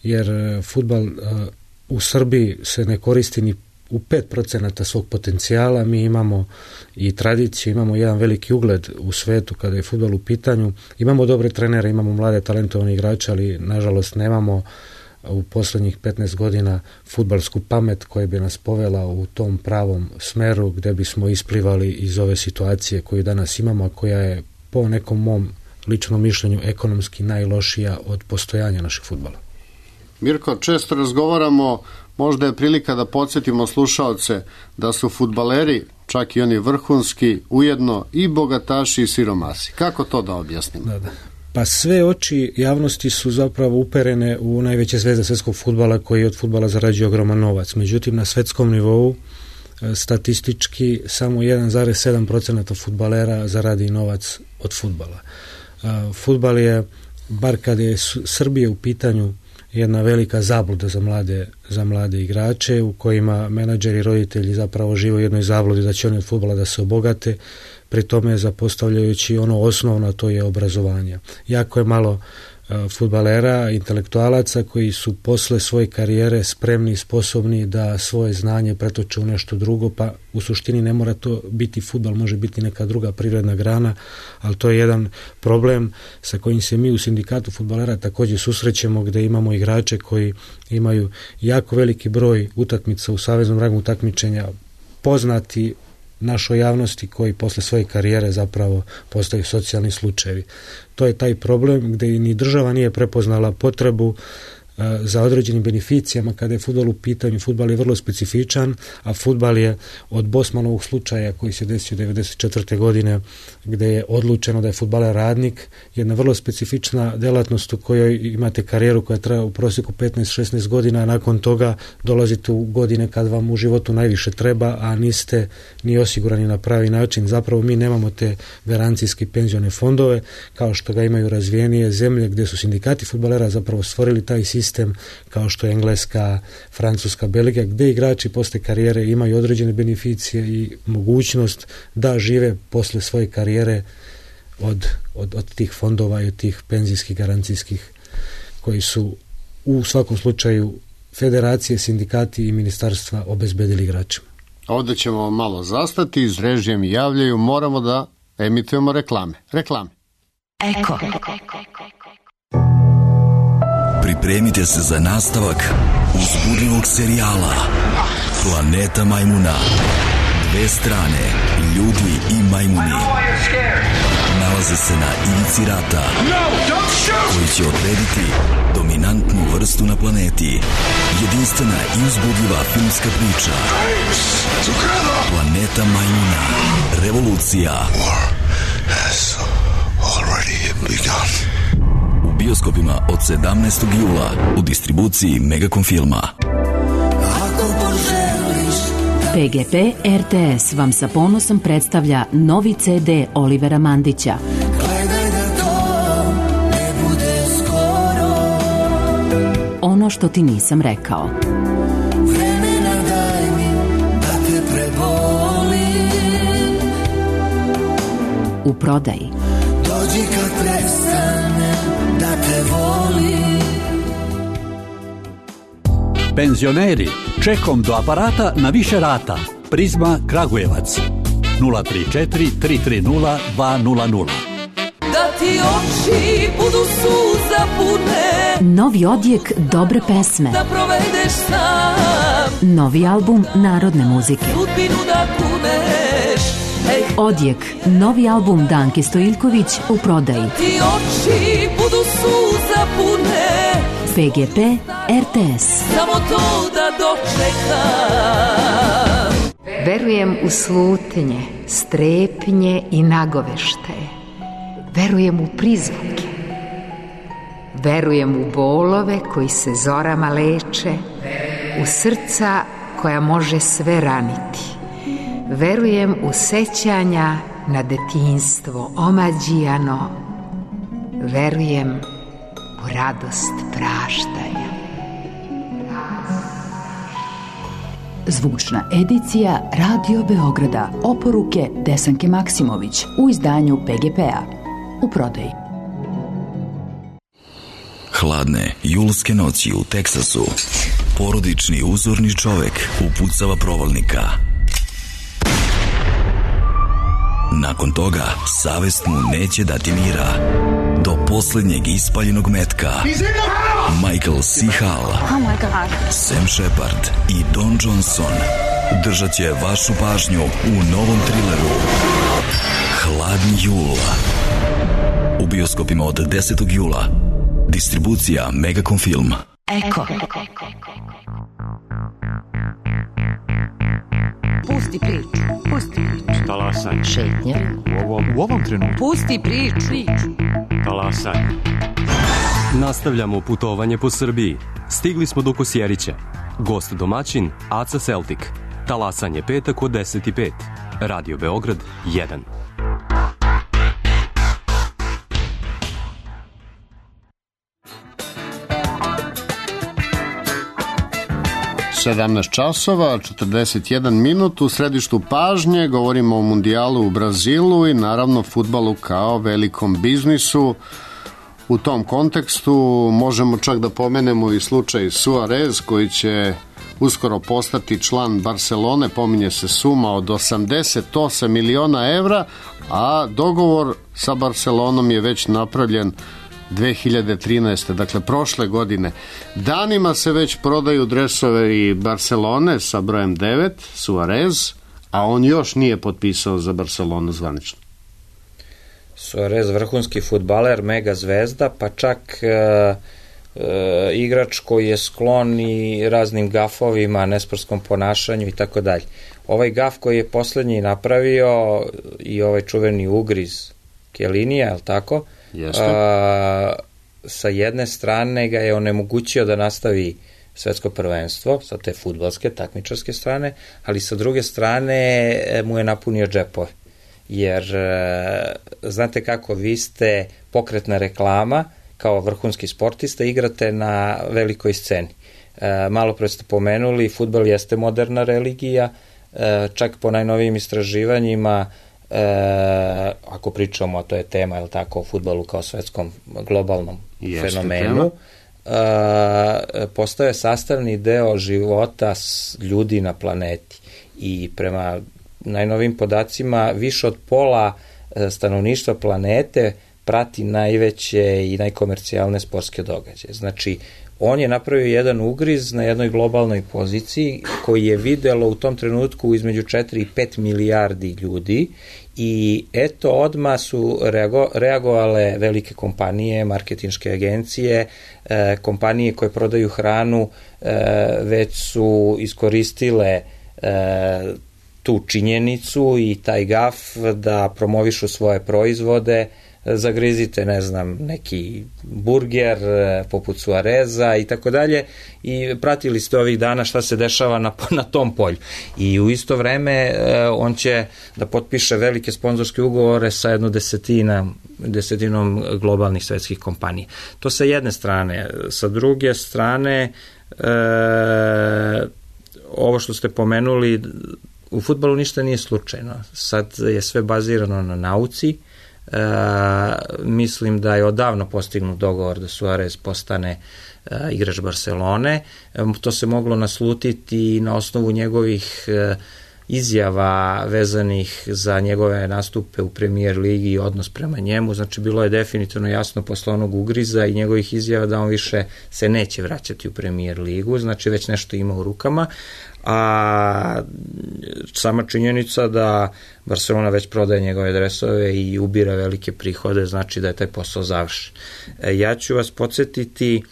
jer fudbal u Srbiji se ne koristi ni u 5% svog potencijala. Mi imamo i tradiciju, imamo jedan veliki ugled u svetu kada je fudbal u pitanju. Imamo dobre trenere, imamo mlade talentovane igrače, ali nažalost nemamo u poslednjih 15 godina fudbalsku pamet koja bi nas povela u tom pravom smeru gde bismo isplivali iz ove situacije koju danas imamo, a koja je po nekom mom ličnom mišljenju ekonomski najlošija od postojanja našeg fudbala. Mirko, često razgovaramo, možda je prilika da podsjetimo slušaoce da su fudbaleri, čak i oni vrhunski, ujedno i bogataši i siromasi. Kako to da objasnimo? Da. Pa sve oči javnosti su zapravo uperene u najveće zvezde svetskog fudbala koji od fudbala zarađuje ogroman novac. Međutim, na svetskom nivou statistički samo 1,7% fudbalera zaradi novac od fudbala. Fudbal je, bar kada je Srbija u pitanju, jedna velika zabluda za mlade igrače, u kojima menadžeri i roditelji zapravo žive u jednoj zabludi da će oni od fudbala da se obogate, pri tome zapostavljajući ono osnovno, to je obrazovanje. Jako je malo fudbalera, intelektualaca koji su posle svoje karijere spremni i sposobni da svoje znanje pretoče u nešto drugo, pa u suštini ne mora to biti fudbal, može biti neka druga privredna grana, ali to je jedan problem sa kojim se mi u sindikatu fudbalera također susrećemo, gde imamo igrače koji imaju jako veliki broj utakmica u saveznom rangu takmičenja, poznati našoj javnosti, koji posle svoje karijere zapravo postaju socijalni slučajevi. To je taj problem gde ni država nije prepoznala potrebu za određenim beneficijama kada je fudbal u pitanju. Fudbal je vrlo specifičan, a fudbal je od Bosmanovog slučaja koji se desio 1994. godine, gde je odlučeno da je fudbaler radnik, jedna vrlo specifična delatnost u kojoj imate karijeru koja traje u prosjeku 15-16 godina, a nakon toga dolazite u godine kad vam u životu najviše treba, a niste ni osigurani na pravi način. Zapravo mi nemamo te garancijske penzione fondove kao što ga imaju razvijenije zemlje, gde su sindikati fudbalera zapravo stvorili taj sistem, kao što je Engleska, Francuska, Belgija, gde igrači posle karijere imaju određene beneficije i mogućnost da žive posle svoje karijere od tih fondova i od tih penzijskih garancijskih koji su u svakom slučaju federacije, sindikati i ministarstva obezbedili igračima. Ovdje ćemo malo zastati, iz režije mi javljaju, moramo da emitujemo reklame. Eko. Pripremite se za nastavak uzbudljivog serijala Planeta majmuna. Dve strane, ljudi i majmuni, nalaze se na ivici rata koji će odrediti dominantnu vrstu na planeti. Jedinstvena i uzbudljiva filmska priča Planeta majmuna. Revolucija. U bioskopima od 17. jula u distribuciji Megacom filma. PGP RTS vam sa ponosom predstavlja novi CD Olivera Mandića. Ono što ti nisam rekao. U prodaji. Dođi kad prestane da te volim. Penzioneri, čekom do aparata na više rata. Prizma Kragujevac 034 330 200. Da ti oči budu suza pune. Novi odjek dobre pesme. Da provedeš sam. Novi album narodne muzike. Sudbinu da kuneš. Odjek, novi album Danke Stojiljković u prodaji. Ti oči budu suza pune. PGP RTS. Samo to da dočekam. Verujem u slutnje, strepnje i nagoveštaje. Verujem u prizvuke. Verujem u bolove koji se zorama leče. U srca koja može sve raniti. Verujem u sećanja na detinjstvo omađijano. Verujem u radost praštanja. Zvučna edicija Radio Beograda. Oporuke Desanke Maksimović u izdanju PGP-a. U prodaji. Hladne julske noći u Teksasu. Porodični uzorni čovek upucava provalnika. Nakon toga, savest mu neće dati mira. Do posljednjeg ispaljenog metka. Michael C. Hall, Sam Shepard i Don Johnson držat će vašu pažnju u novom trileru Hladni jul. U bioskopima od 10. jula. Distribucija Megacom film. Eko. Pusti priču. Talasaj. Šetnja. U ovom trenutku. Pusti priču. Talasaj. Nastavljamo putovanje po Srbiji. Stigli smo do Kosjerića. Gost domaćin Aca Celtic. Talasanje petak od 10:05. Radio Beograd 1. časova, 41 minut u središtu pažnje, govorimo o mundijalu u Brazilu i naravno fudbalu kao velikom biznisu. U tom kontekstu možemo čak da pomenemo i slučaj Suarez koji će uskoro postati član Barcelone, pominje se suma od 88 miliona evra, a dogovor sa Barcelonom je već napravljen 2013. Dakle prošle godine. Danima se već prodaju dresove i Barcelone sa brojem 9, Suarez, a on još nije potpisao za Barcelonu zvanično. Suarez vrhunski fudbaler, mega zvezda, pa čak igrač koji je sklon i raznim gafovima, nesportskom ponašanju i tako dalje. Ovaj gaf koji je poslednji napravio i ovaj čuveni ugriz Kjelinija, je li tako? Sa jedne strane ga je onemogućio da nastavi svetsko prvenstvo, sa te fudbalske, takmičarske strane, ali sa druge strane mu je napunio džepove. Jer, znate kako, vi ste pokretna reklama, kao vrhunski sportista, igrate na velikoj sceni. Malo pre ste pomenuli, fudbal jeste moderna religija, čak po najnovijim istraživanjima, ako pričamo, a to je tema, je li tako, o fudbalu kao svetskom globalnom fenomenu, postao je sastavni deo života ljudi na planeti i prema najnovim podacima više od pola stanovništva planete prati najveće i najkomercijalne sportske događaje. Znači, on je napravio jedan ugriz na jednoj globalnoj poziciji koji je videlo u tom trenutku između 4 i 5 milijardi ljudi i eto odmah su reagovale velike kompanije, marketinške agencije, kompanije koje prodaju hranu već su iskoristile tu činjenicu i taj gaf da promovišu svoje proizvode. Zagrizite, ne znam, neki burger poput Suareza i tako dalje i pratili ste ovih dana šta se dešava na tom polju. I u isto vreme on će da potpiše velike sponzorske ugovore sa jednom desetinom globalnih svetskih kompanija. To sa jedne strane. Sa druge strane, ovo što ste pomenuli, u fudbalu ništa nije slučajno. Sad je sve bazirano na nauci. Mislim da je odavno postignut dogovor da Suarez postane igrač Barcelone. To se moglo naslutiti na osnovu njegovih izjava vezanih za njegove nastupe u Premier ligi i odnos prema njemu. Znači, bilo je definitivno jasno posle onog ugriza i njegovih izjava da on više se neće vraćati u Premier ligu. Znači, već nešto ima u rukama. A sama činjenica da Barcelona već prodaje njegove dresove i ubira velike prihode, znači da je taj posao završen. Ja ću vas podsjetiti,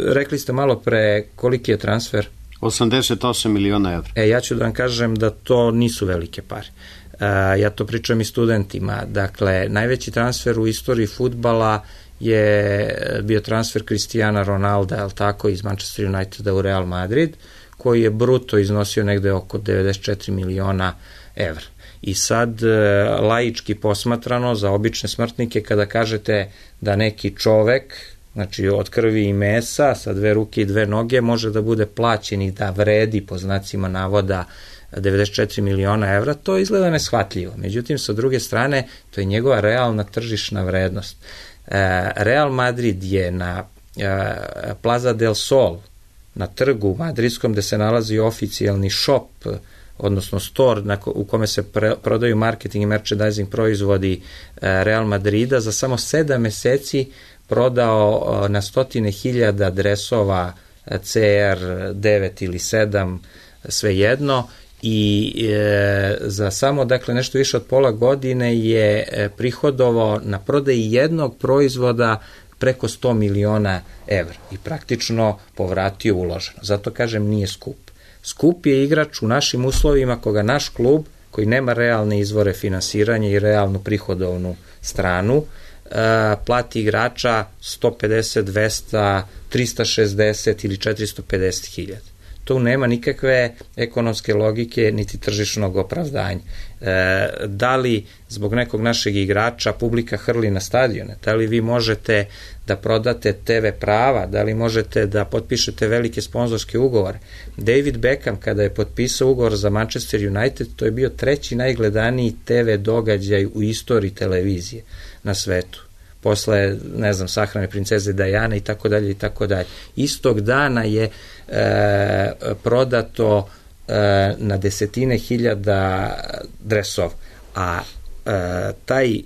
rekli ste malo pre koliki je transfer? 88 miliona evra. Ja ću da vam kažem da to nisu velike pare. Ja to pričam i studentima. Dakle, najveći transfer u istoriji fudbala je bio transfer Cristiana Ronalda, je li tako, iz Manchester Uniteda u Real Madrid, koji je bruto iznosio negde oko 94 miliona evra. I sad, laički posmatrano, za obične smrtnike, kada kažete da neki čovek, znači od krvi i mesa, sa 2 ruke i 2 noge, može da bude plaćen i da vredi, po znacima navoda, 94 miliona evra, to izgleda neshvatljivo. Međutim, sa druge strane, to je njegova realna tržišna vrednost. Real Madrid je na Plaza del Sol, na trgu madridskom, gde se nalazi oficijalni shop, odnosno store u kome se prodaju marketing i merchandising proizvodi Real Madrida, za samo 7 meseci prodao na 100.000 dresova CR9 ili 7, svejedno, i za samo, dakle, nešto više od pola godine je prihodovao na prodaji jednog proizvoda preko 100 miliona evra i praktično povratio uloženo. Zato kažem, nije skup. Skup je igrač u našim uslovima koga naš klub, koji nema realne izvore finansiranja i realnu prihodovnu stranu, plati igrača 150, 200, 360 ili 450 hiljada. tu nema nikakve ekonomske logike niti tržišnog opravdanja. Da li zbog nekog našeg igrača publika hrli na stadione, da li vi možete da prodate TV prava, da li možete da potpišete velike sponzorske ugovore. David Beckham kada je potpisao ugovor za Manchester United, to je bio 3. najgledaniji TV događaj u istoriji televizije na svetu. Posle, ne znam, sahrane princeze Diane i tako dalje i tako dalje. Istog dana je prodato na desetine hiljada dresova, a taj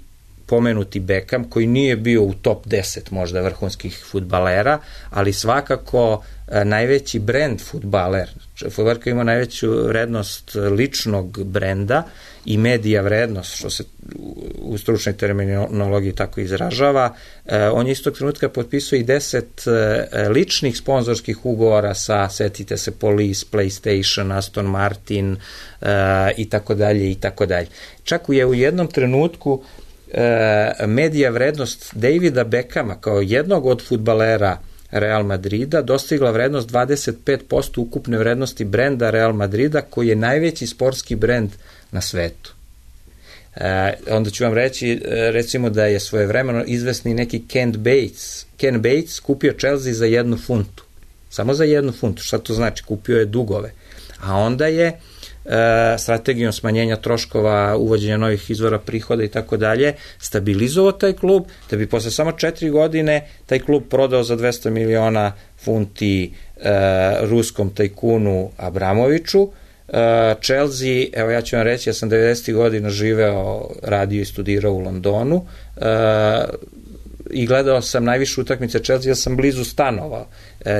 pomenuti Beckham, koji nije bio u top 10 možda vrhunskih fudbalera, ali svakako najveći brend fudbaler. Fudbaler koji ima najveću vrednost ličnog brenda i medija vrednost, što se u stručnoj terminologiji tako izražava, on je istog trenutka potpisao i 10 ličnih sponzorskih ugovora sa, setite se, Police, PlayStation, Aston Martin i tako dalje i tako dalje. Čak je u jednom trenutku medija vrednost Davida Beckhama kao jednog od fudbalera Real Madrida dostigla vrednost 25% ukupne vrednosti brenda Real Madrida, koji je najveći sportski brend na svetu. Onda ću vam reći, recimo da je svojevremeno izvesni neki Ken Bates kupio Chelsea za 1 funtu. Samo za 1 funtu. Šta to znači? Kupio je dugove. A onda je strategijom smanjenja troškova, uvođenja novih izvora prihoda i tako dalje, stabilizovao taj klub, da bi posle samo 4 godine taj klub prodao za 200 miliona funti ruskom tajkunu Abramoviću. Chelsea, evo ja ću vam reći, ja sam 90. godina živeo, radio i studirao u Londonu i gledao sam najviše utakmice Chelsea, ja sam blizu stanovao.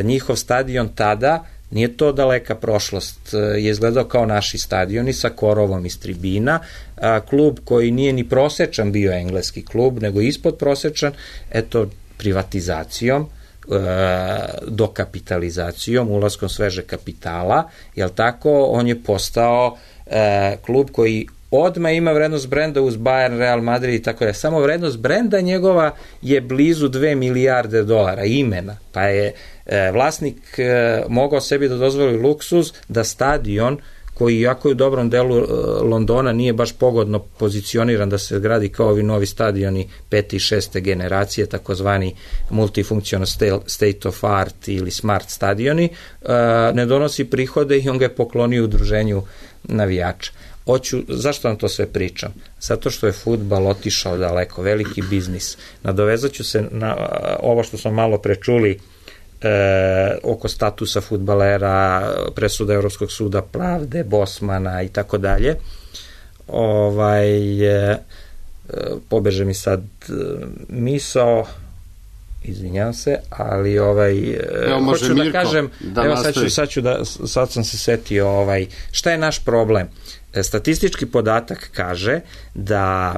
Njihov stadion tada, nije to daleka prošlost, je izgledao kao naši stadioni sa korovom iz tribina, klub koji nije ni prosečan bio engleski klub, nego ispod prosečan, eto, privatizacijom, dokapitalizacijom, ulaskom sveže kapitala, jel tako, on je postao klub koji odmah ima vrednost brenda uz Bayern, Real Madrid i tako da. Samo vrednost brenda njegova je blizu 2 milijarde dolara imena, pa je vlasnik mogao sebi da dozvoli luksuz da stadion koji iako je u dobrom delu Londona nije baš pogodno pozicioniran da se gradi kao ovi novi stadioni 5. i 6. generacije, takozvani multifunctional state of art ili smart stadioni, ne donosi prihode i on ga je poklonio udruženju navijača. Zašto vam to sve pričam? Zato što je fudbal otišao daleko, veliki biznis. Nadovezat ću se na ovo što smo malo prečuli oko statusa fudbalera, presuda Evropskog suda pravde, Bosmana i tako dalje. Pobeže mi sad misao, izvinjam se, ali hoću da kažem, sad sam se setio, šta je naš problem? Statistički podatak kaže da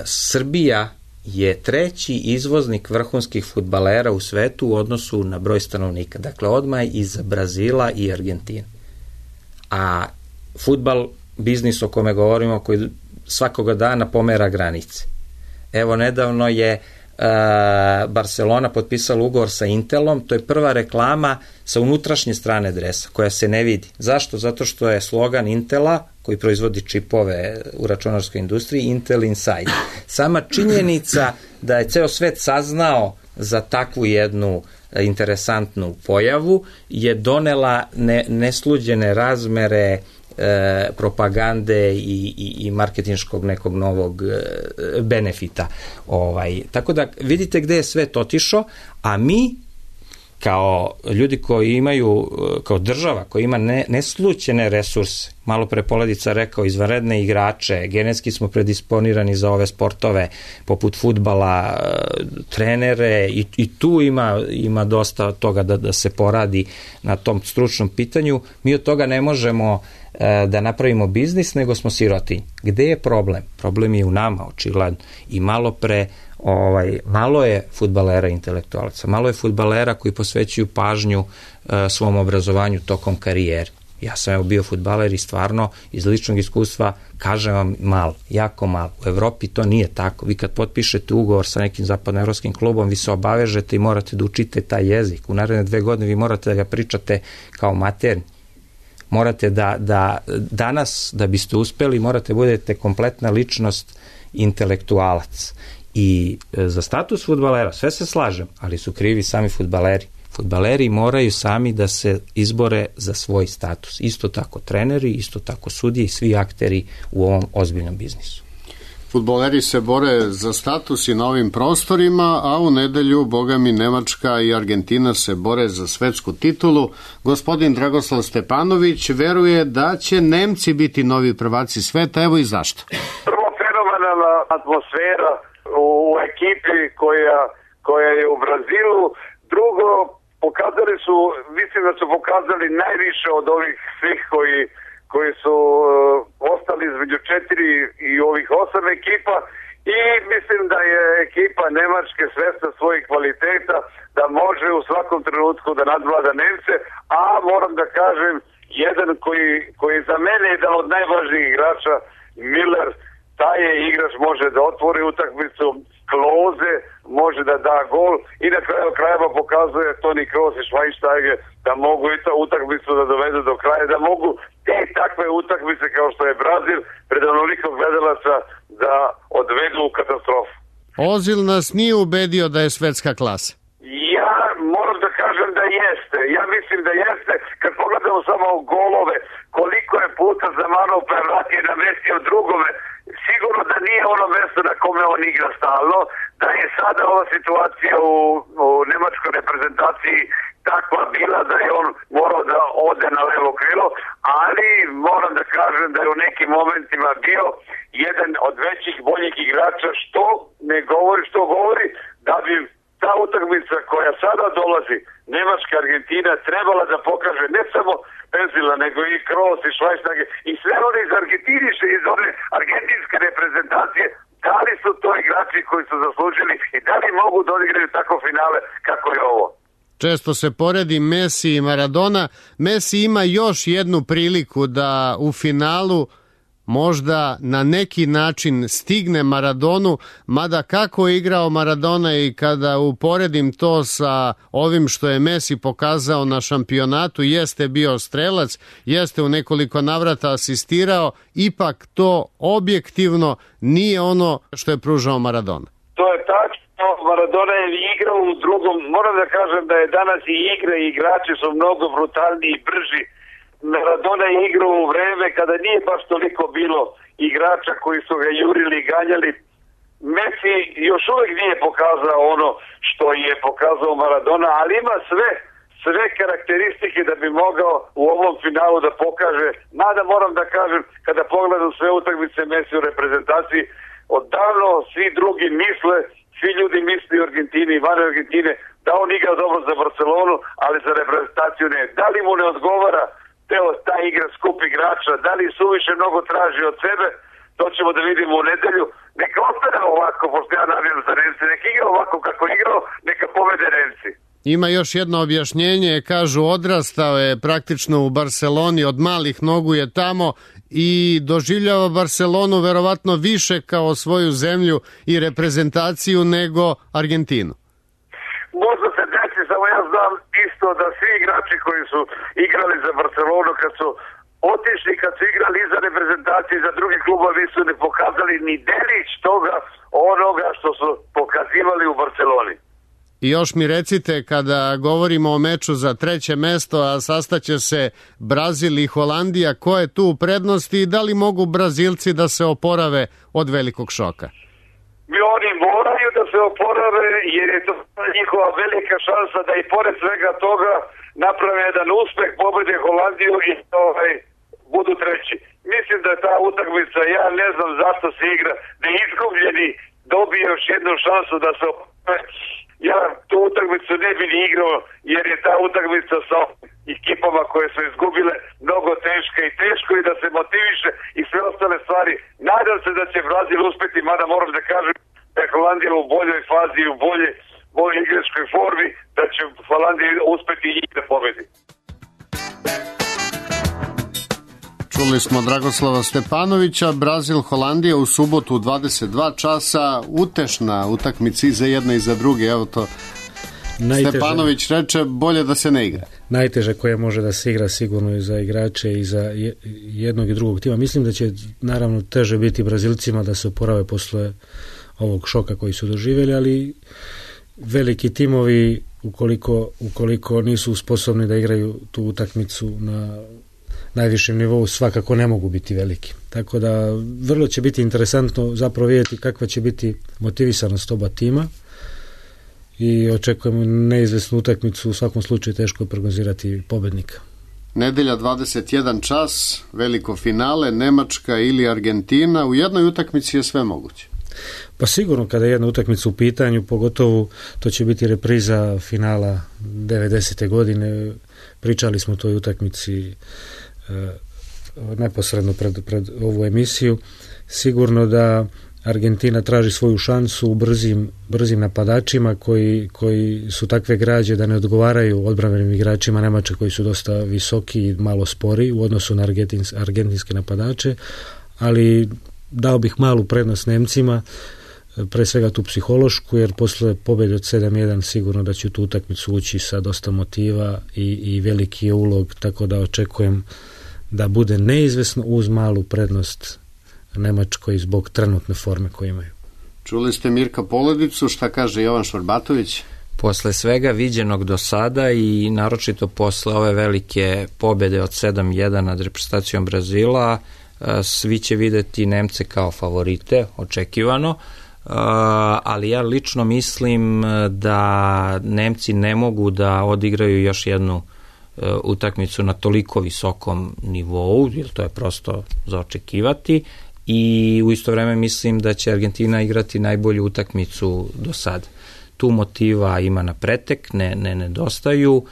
Srbija je 3. izvoznik vrhunskih fudbalera u svetu u odnosu na broj stanovnika. Dakle, odmah iz Brazila i Argentine. A fudbal, biznis o kome govorimo, koji svakoga dana pomera granice. Evo, nedavno je Barcelona potpisala ugovor sa Intelom, to je prva reklama sa unutrašnje strane dresa, koja se ne vidi. Zašto? Zato što je slogan Intela, koji proizvodi čipove u računarskoj industriji, Intel Inside. Sama činjenica da je ceo svet saznao za takvu jednu interesantnu pojavu je donela nesluđene razmere propagande i marketinškog nekog novog benefita. Tako da vidite gde je svet otišao, a mi kao ljudi koji imaju, kao država koja ima neslućene resurse, malo pre Poledica rekao, izvanredne igrače, genetski smo predisponirani za ove sportove poput fudbala, trenere i tu ima dosta toga da se poradi na tom stručnom pitanju. Mi od toga ne možemo da napravimo biznis, nego smo sirotinji. Gde je problem? Problem je u nama, očigledno. I malo je fudbalera intelektualaca, malo je fudbalera koji posvećuju pažnju svom obrazovanju tokom karijere. Ja sam bio fudbaler i stvarno iz ličnog iskustva kažem vam malo, jako malo. U Evropi to nije tako. Vi kad potpišete ugovor sa nekim zapadnoevropskim klubom, vi se obavežete i morate da učite taj jezik. U naredne 2 godine vi morate da ga pričate kao maternji. Morate da danas, da biste uspeli, morate budete kompletna ličnost, intelektualac. I za status fudbalera, sve se slažem, ali su krivi sami fudbaleri. Fudbaleri moraju sami da se izbore za svoj status. Isto tako treneri, isto tako sudije i svi akteri u ovom ozbiljnom biznisu. Fudbaleri se bore za status i na ovim prostorima, a u nedelju, boga mi, Nemačka i Argentina se bore za svetsku titulu. Gospodin Dragoslav Stepanović veruje da će Nemci biti novi prvaci sveta, evo i zašto. Prvo, fenomenalna atmosfera u ekipi koja je u Brazilu. Drugo, pokazali su, mislim da su pokazali najviše od ovih svih koji su ostali između 4 i ovih 8 ekipa i mislim da je ekipa Nemačke svesna svojih kvaliteta, da može u svakom trenutku da nadvlada Nemce, a moram da kažem, jedan koji za mene je jedan od najvažnijih igrača, Miller, taj je igrač, može da otvori utakmicu, Klose može da da gol i na kraju krajeva pokazuje Toni Kroos i Schweinsteiger da mogu i to utakmicu da dovedu do kraja, da mogu te takve utakmice kao što je Brazil pred onoliko gledalaca da odvedu u katastrofu. Ozil nas nije ubedio da je svetska klasa. Ja moram da kažem da jeste. Ja mislim da jeste. Kad pogledamo samo golove, koliko je puta Zamanov prevratio na mestio drugome, sigurno da nije ono mesto na kome on igra stalno, da je sada ova situacija u nemačkoj reprezentaciji takva bila da je on morao da ode na levo krilo, ali moram da kažem da je u nekim momentima bio jedan od većih, boljih igrača, što ne govori, što govori da bi ta utakmica koja sada dolazi, Nemačka Argentina, trebala da pokaže ne samo Benzila, nego i Kroos i Schweinsteiger i sve one iz Argentine, iz one argentinske reprezentacije, da li su to igrači koji su zaslužili i da li mogu da odigraju tako finale kako je ovo. Često se poredi Messi i Maradona. Messi ima još jednu priliku da u finalu možda na neki način stigne Maradonu, mada kako je igrao Maradona i kada uporedim to sa ovim što je Messi pokazao na šampionatu, jeste bio strelac, jeste u nekoliko navrata asistirao, ipak to objektivno nije ono što je pružao Maradona. To je tačno, Maradona je igrao u drugom, moram da kažem da je danas i igre i igrači su mnogo brutalniji i brži. Maradona je igrao u vreme kada nije baš toliko bilo igrača koji su ga jurili i ganjali. Messi još uvijek nije pokazao ono što je pokazao Maradona, ali ima sve karakteristike da bi mogao u ovom finalu da pokaže. Mada moram da kažem, kada pogledam sve utakmice Messi u reprezentaciji, odavno svi drugi misle, svi ljudi misli u Argentini i van Argentine da on igra dobro za Barcelonu, ali za reprezentaciju ne. Da li mu ne odgovara ta igra skup igrača, da li suviše mnogo traži od sebe, to ćemo da vidimo u nedelju. Neka ostane ovako, pošto ja navijam za Nemci, neka igra ovako kako igrao, neka povede Nemci. Ima još jedno objašnjenje, kažu odrastao je praktično u Barceloni, od malih nogu je tamo i doživljava Barcelonu verovatno više kao svoju zemlju i reprezentaciju nego Argentinu. Možda se desi, samo ja znam isto da svi igrači koji su igrali za Barcelonu kad su otišli, kad su igrali i za reprezentacije i za drugi klubovi su ne pokazali ni delić toga onoga što su pokazivali u Barceloni. I još mi recite, kada govorimo o meču za 3. mesto, a sastaće se Brazil i Holandija, ko je tu u prednosti i da li mogu Brazilci da se oporave od velikog šoka? Oni moraju da se oporave jer je to njihova velika šansa da i pored svega toga naprave jedan uspeh, pobede Holandiju i budu treći. Mislim da je ta utakmica, ja ne znam zašto se igra, da izgubljeni dobije još jednu šansu da se oporave. Ja tu utakmicu ne bi ni igrao jer je ta utakmica sa ekipama koje su izgubile mnogo teška i teško je da se motiviše i sve ostale stvari. Nadam se da će Brazil uspeti, mada moram da kažem da je Holandija u boljoj fazi i u boljoj igračkoj formi, da će Holandija uspeti i da pobedi. Čuli smo Dragoslava Stepanovića. Brazil, Holandija u subotu u 22 časa. Utešna utakmica i za jedne i za druge. Evo to Stepanović reče, bolje da se ne igra. Najteže koje može da se igra sigurno i za igrače i za jednog i drugog tima. Mislim da će naravno teže biti Brazilcima da se oporave posle ovog šoka koji su doživjeli, ali veliki timovi ukoliko nisu sposobni da igraju tu utakmicu na najvišem nivou, svakako ne mogu biti veliki. Tako da vrlo će biti interesantno zapravo vidjeti kakva će biti motivisanost oba tima i očekujemo neizvesnu utakmicu. U svakom slučaju teško je prognozirati pobednika. Nedelja 21 čas, veliko finale, Nemačka ili Argentina. U jednoj utakmici je sve moguće. Pa sigurno kada je jedna utakmica u pitanju, pogotovo to će biti repriza finala 90. godine. Pričali smo o toj utakmici neposredno pred ovu emisiju. Sigurno da Argentina traži svoju šansu u brzim napadačima koji su takve građe da ne odgovaraju odbrambenim igračima Nemačke koji su dosta visoki i malo spori u odnosu na argentinske napadače, ali dao bih malu prednost Nemcima, pre svega tu psihološku, jer posle pobjede od 7-1 sigurno da će tu utakmicu ući sa dosta motiva i veliki je ulog, tako da očekujem da bude neizvesno uz malu prednost Nemačkoj zbog trenutne forme koje imaju. Čuli ste Mirka Poledicu, šta kaže Jovan Šorbatović? Posle svega viđenog do sada i naročito posle ove velike pobjede od 7-1 nad reprezentacijom Brazila, svi će videti Nemce kao favorite, očekivano, ali ja lično mislim da Nemci ne mogu da odigraju još jednu utakmicu na toliko visokom nivou, jer to je prosto za očekivati, i u isto vreme mislim da će Argentina igrati najbolju utakmicu do sada. Tu motiva ima na pretek, ne nedostaju.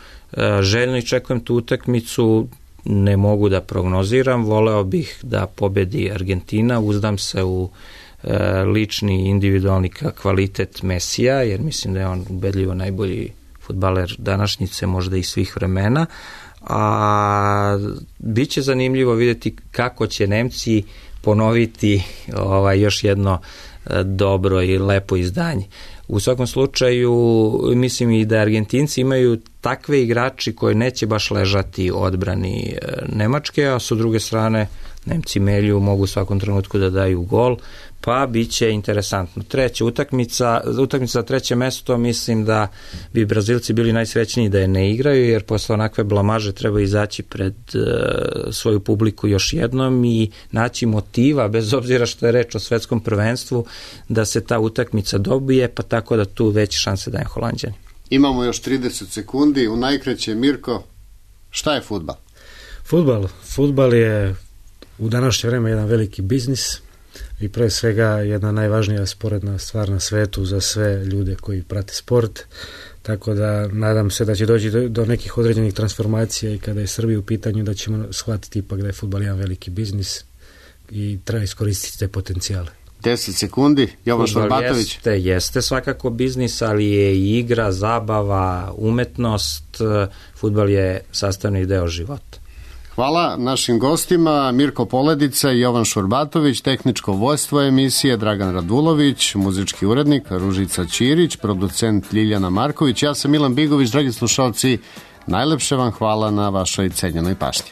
Željno iščekujem tu utakmicu, ne mogu da prognoziram, voleo bih da pobedi Argentina, uzdam se u lični individualni kvalitet Mesija, jer mislim da je on ubedljivo najbolji fudbaler današnjice, možda i svih vremena, a bit će zanimljivo vidjeti kako će Nemci ponoviti još jedno dobro i lepo izdanje. U svakom slučaju mislim i da Argentinci imaju takve igrači koji neće baš ležati odbrani Nemačke, a sa druge strane Nemci melju, mogu u svakom trenutku da daju gol, pa bit će interesantno. Treća utakmica za treće mesto, mislim da bi Brazilci bili najsrećniji da je ne igraju, jer posle onakve blamaže treba izaći pred svoju publiku još jednom i naći motiva, bez obzira što je reč o svetskom prvenstvu, da se ta utakmica dobije, pa tako da tu veće šanse daje Holanđani. Imamo još 30 sekundi, u najkraće, Mirko, šta je fudbal? Fudbal je u današnje vreme jedan veliki biznis i pre svega jedna najvažnija sporedna stvar na svetu za sve ljude koji prate sport, tako da nadam se da će doći do nekih određenih transformacija i kada je Srbija u pitanju da ćemo shvatiti ipak da je fudbal jedan veliki biznis i treba iskoristiti te potencijale. 10 sekundi, Jovan Šorbatović. Jeste svakako biznis, ali je i igra, zabava, umetnost, fudbal je sastavni deo života. Hvala našim gostima, Mirko Poledica i Jovan Šorbatović, tehničko vođstvo emisije Dragan Radulović, muzički urednik Ružica Ćirić, producent Ljiljana Marković, ja sam Milan Bigović. Dragi slušalci, najlepše vam hvala na vašoj cenjenoj pažnji.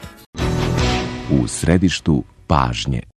U središtu pažnje.